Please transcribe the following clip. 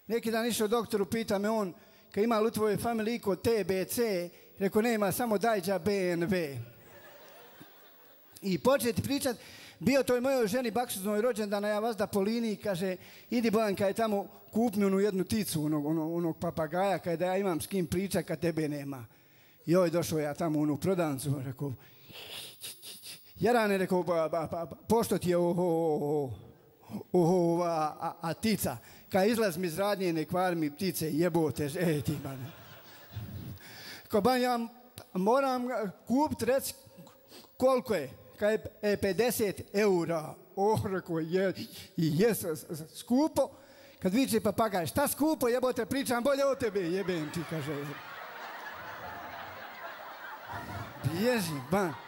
Neki dan išao doktoru, pita me on, kad ima li u tvojoj familiji kod TBC, rekao nema, samo dajđa BNV. I početi pričat, bio toj mojoj ženi baksuznoj rođendana, ja vas da po liniji, kaže, idi Bojanka je tamo, kup mi onu jednu ticu, onog papagaja, kada da ja imam s kim pričat kad tebe nema. Joj, došao ja tamo u onu prodavnicu, rekao, Jarane, rekao, pošto ti je a tica, kad izlaz mi iz radnje, ne kvar mi ptice, jebote, ti bane. Ko ban, ja moram kupiti, reci, koliko je? Kad je 50 eura. Rekao, je skupo. Kad viče papagaj, šta skupo, jebote, pričam bolje o tebe, jebem ti, kaže. Bježi, ban.